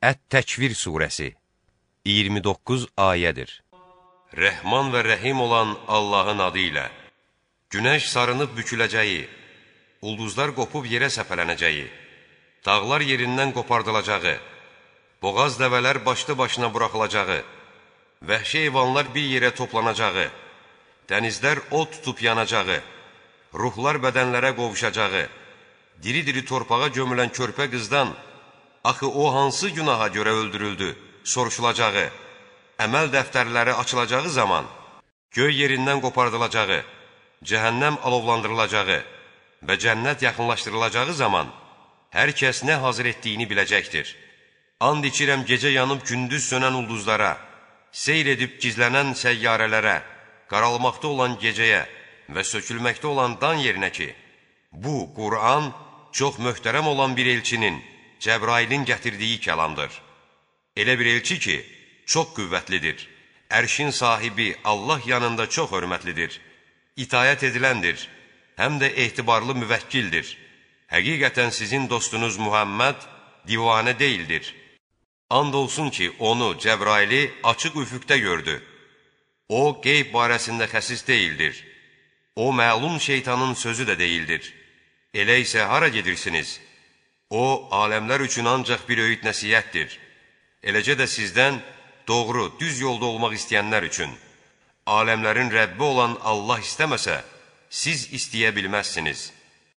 Ət-Təkvir surəsi 29 ayədir. Rəhman və rəhim olan Allahın adı ilə günəş sarınıb büküləcəyi, ulduzlar qopub yerə səpələnəcəyi, dağlar yerindən qopardılacağı, boğaz dəvələr başlı başına buraxılacağı, vəhşi heyvanlar bir yerə toplanacağı, dənizlər od tutub yanacağı, ruhlar bədənlərə qovuşacağı, diri-diri torpağa gömülən körpə qızdan axı o hansı günaha görə öldürüldü, soruşulacağı, əməl dəftərləri açılacağı zaman, göy yerindən qopardılacağı, cəhənnəm alovlandırılacağı və cənnət yaxınlaşdırılacağı zaman, hər kəs nə hazır etdiyini biləcəkdir. And içirəm gecə yanıb gündüz sönən ulduzlara, seyr edib gizlənən səyyarələrə, qaralmaqda olan gecəyə və sökülməkdə olan dan yerinə ki, bu, Qur'an çox möhtərəm olan bir elçinin, Cəbrailin gətirdiyi kəlamdır. Elə bir elçi ki, çox qüvvətlidir. Ərşin sahibi Allah yanında çox hörmətlidir. İtayət ediləndir, həm də etibarlı müvəkkildir. Həqiqətən sizin dostunuz Muhammed divanə deyildir. And olsun ki, onu, Cəbraili açıq üfüqdə gördü. O, qeyb barəsində xəsis deyildir. O, məlum şeytanın sözü də deyildir. Elə isə hara gedirsiniz? O, aləmlər üçün ancaq bir öyüd nəsiyyətdir. Eləcə də sizdən doğru, düz yolda olmaq istəyənlər üçün. Aləmlərin Rəbbi olan Allah istəməsə, siz istəyə bilməzsiniz.